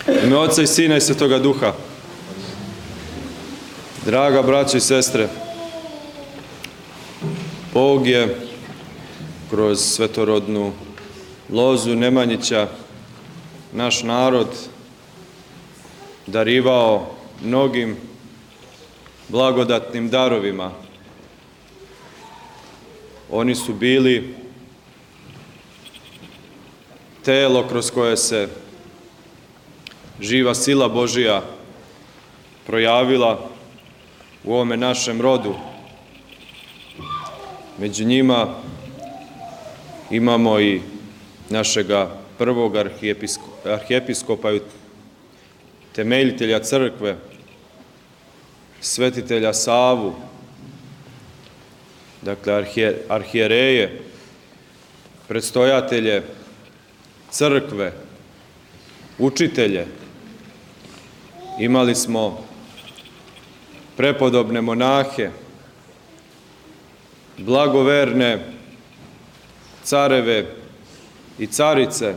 U ime Oca i Sina i Svetoga Duha. Draga braćo i sestre, Bog je kroz svetorodnu lozu Nemanjića naš narod darivao mnogim blagodatnim darovima. Oni su bili telo kroz koje se živa sila Božija projavila u ovome našem rodu. Među njima imamo i našega prvog arhijepiskopa i temeljitelja crkve, svetitelja Savu, dakle arhijereje, predstojatelje crkve, učitelje. Imali smo prepodobne monahe, blagoverne careve i carice,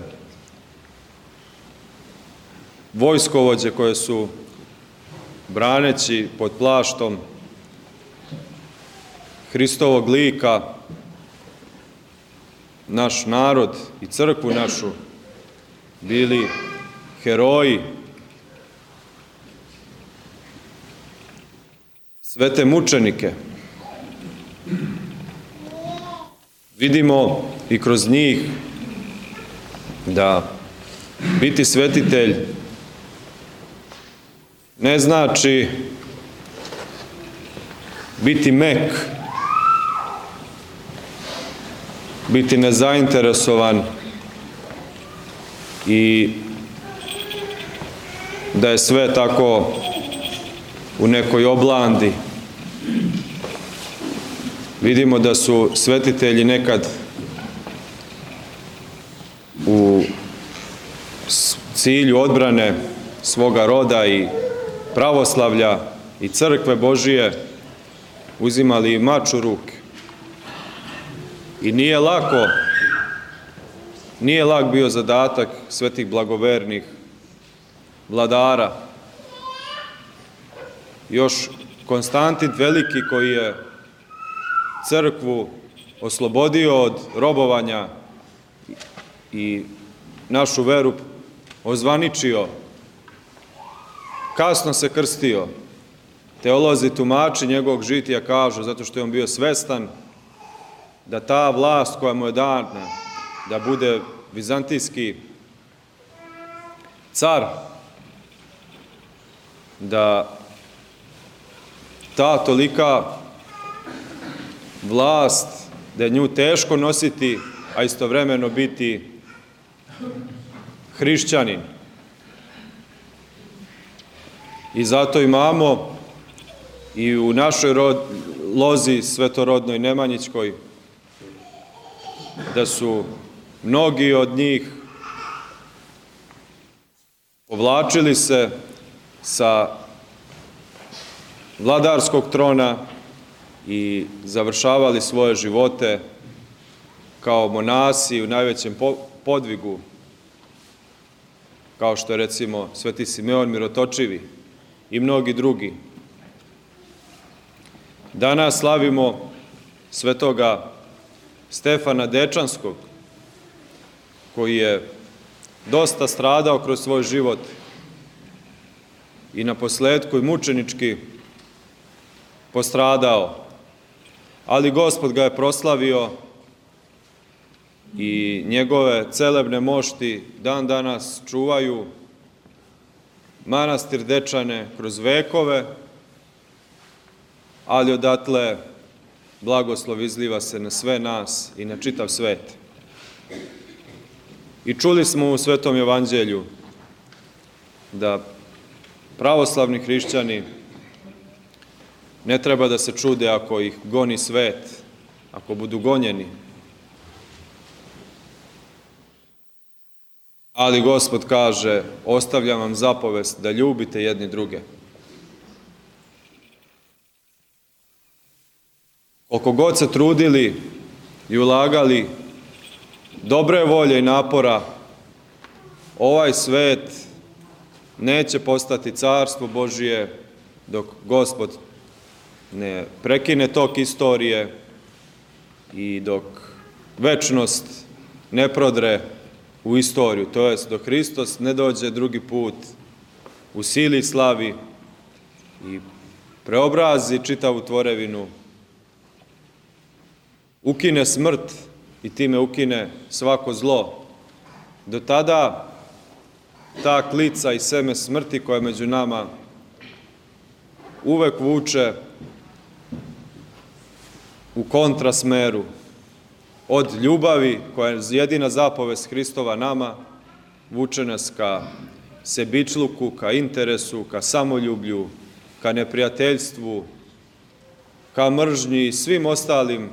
vojskovođe koje su, braneći pod plaštom Hristovog lika, naš narod i crkvu našu, bili heroji. Sve te mučenike vidimo i kroz njih da biti svetitelj ne znači biti mek, biti nezainteresovan i da je sve tako u nekoj oblandi. Vidimo da su svetitelji nekad u cilju odbrane svoga roda i pravoslavlja i crkve Božije uzimali mač u ruke. I nije lak bio zadatak svetih blagovernih vladara. Još Konstantin Veliki, koji je crkvu oslobodio od robovanja i našu veru ozvaničio, kasno se krstio. Teolozi tumači njegovog žitija kažu, zato što je on bio svestan da ta vlast koja mu je dana, da bude vizantijski car, da ta tolika vlast, da je nju teško nositi, a istovremeno biti hrišćanin. I zato imamo i u našoj lozi svetorodnoj Nemanjićkoj da su mnogi od njih povlačili se sa vladarskog trona i završavali svoje živote kao monasi u najvećem podvigu, kao što je recimo Sveti Simeon Mirotočivi i mnogi drugi. Danas slavimo svetoga Stefana Dečanskog, koji je dosta stradao kroz svoj život i naposletku i mučenički postradao, ali Gospod ga je proslavio i njegove celebne mošti dan danas čuvaju manastir Dečane kroz vekove, ali odatle blagoslov izliva se na sve nas i na čitav svet. I čuli smo u Svetom evanđelju da pravoslavni hrišćani ne treba da se čude ako ih goni svet, ako budu gonjeni. Ali Gospod kaže, ostavljam vam zapovest da ljubite jedni druge. Koliko god se trudili i ulagali dobre volje i napora, ovaj svet neće postati carstvo Božije dok Gospod ne prekine tok istorije i dok večnost ne prodre u istoriju, to jest dok Hristos ne dođe drugi put u sili i slavi i preobrazi čitavu tvorevinu, ukine smrt i time ukine svako zlo. Do tada ta klica i seme smrti koja među nama uvek vuče u kontrasmeru od ljubavi koja je jedina zapovest Hristova nama, vuče nas ka sebičluku, ka interesu, ka samoljublju, ka neprijateljstvu, ka mržnji i svim ostalim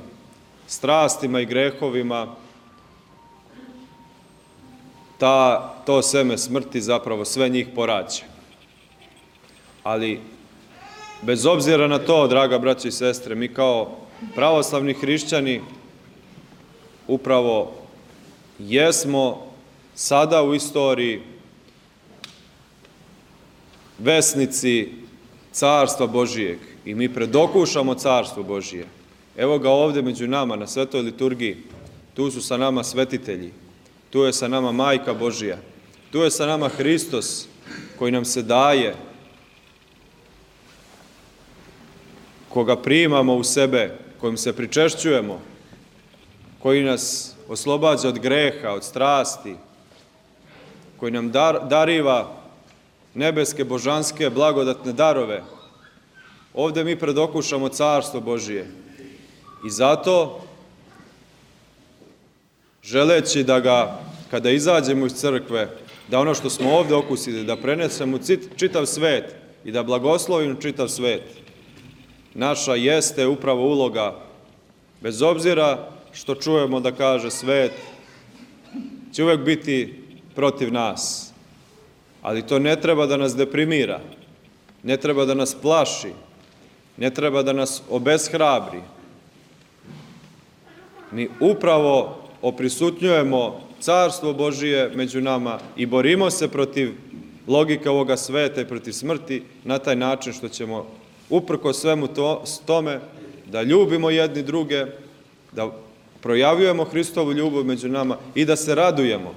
strastima i grehovima. To seme smrti zapravo sve njih porađa. Ali, bez obzira na to, draga braćo i sestre, mi kao pravoslavni hrišćani upravo jesmo sada u istoriji vesnici carstva Božijeg i mi predokušamo carstvo Božije. Evo ga ovde među nama na svetoj liturgiji, tu su sa nama svetitelji, tu je sa nama Majka Božija, tu je sa nama Hristos koji nam se daje, koga primamo u sebe, kojim se pričešćujemo, koji nas oslobađa od greha, od strasti, koji nam dariva nebeske, božanske, blagodatne darove. Ovde mi predokušamo carstvo Božije. I zato, želeći da ga, kada izađemo iz crkve, da ono što smo ovde okusili, da prenesemo čitav svet i da blagoslovimo čitav svet, naša jeste upravo uloga, bez obzira što čujemo da kaže svet, će uvek biti protiv nas. Ali to ne treba da nas deprimira, ne treba da nas plaši, ne treba da nas obeshrabri. Mi upravo oprisutnjujemo carstvo Božije među nama i borimo se protiv logike ovoga sveta i protiv smrti na taj način što ćemo uprko svemu tome da ljubimo jedni druge, da projavljujemo Hristovu ljubav među nama i da se radujemo.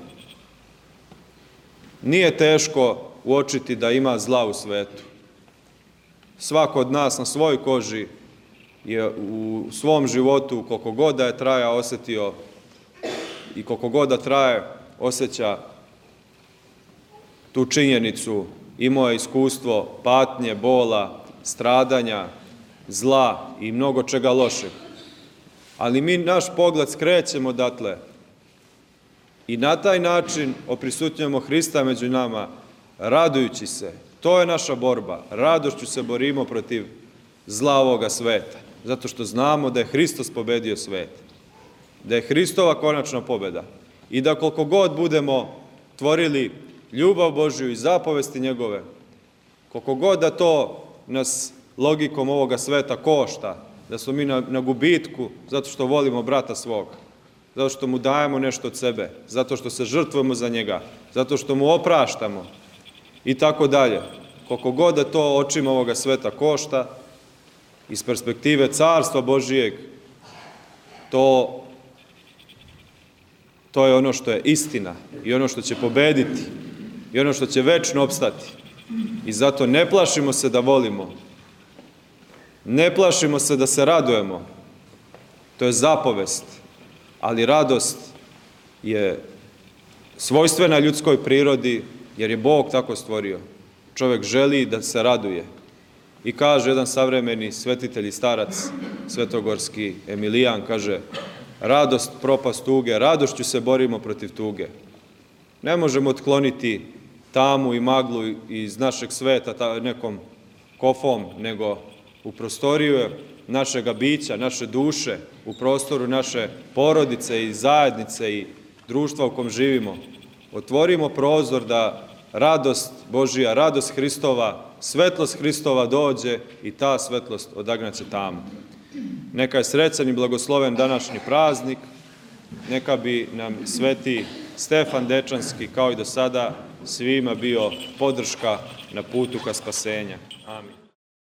Nije teško uočiti da ima zla u svetu. Svako od nas na svojoj koži je u svom životu, koliko god da je traja, osetio i koliko god da traje, osjeća tu činjenicu, imao je iskustvo patnje, bola, stradanja, zla i mnogo čega lošeg. Ali mi naš pogled skrećemo odatle i na taj način oprisutnjujemo Hrista među nama, radujući se. To je naša borba. Radošću se borimo protiv zla ovoga sveta, zato što znamo da je Hristos pobedio svet, da je Hristova konačna pobeda i da koliko god budemo tvorili ljubav Božju i zapovesti njegove, koliko god da to nas logikom ovoga sveta košta, da smo mi na gubitku zato što volimo brata svoga, zato što mu dajemo nešto od sebe, zato što se žrtvujemo za njega, zato što mu opraštamo i tako dalje. Koliko god da to očima ovoga sveta košta, iz perspektive carstva Božijeg, to je ono što je istina i ono što će pobediti i ono što će večno opstati. I zato ne plašimo se da volimo, ne plašimo se da se radujemo. To je zapovest, ali radost je svojstvena ljudskoj prirodi, jer je Bog tako stvorio. Čovjek želi da se raduje. I kaže jedan savremeni svetitelj i starac, svetogorski Emilijan, kaže, radost, propast tuge, radošću se borimo protiv tuge. Ne možemo otkloniti tamu i maglu iz našeg sveta nekom kofom, nego u prostoriju našega bića, naše duše, u prostoru naše porodice i zajednice i društva u kom živimo. Otvorimo prozor da radost Božija, radost Hristova, svetlost Hristova dođe i ta svetlost odagnaće tamu. Neka je srećan i blagosloven današnji praznik, neka bi nam sveti Stefan Dečanski, kao i do sada, svima bio podrška na putu ka spasenja. Amin.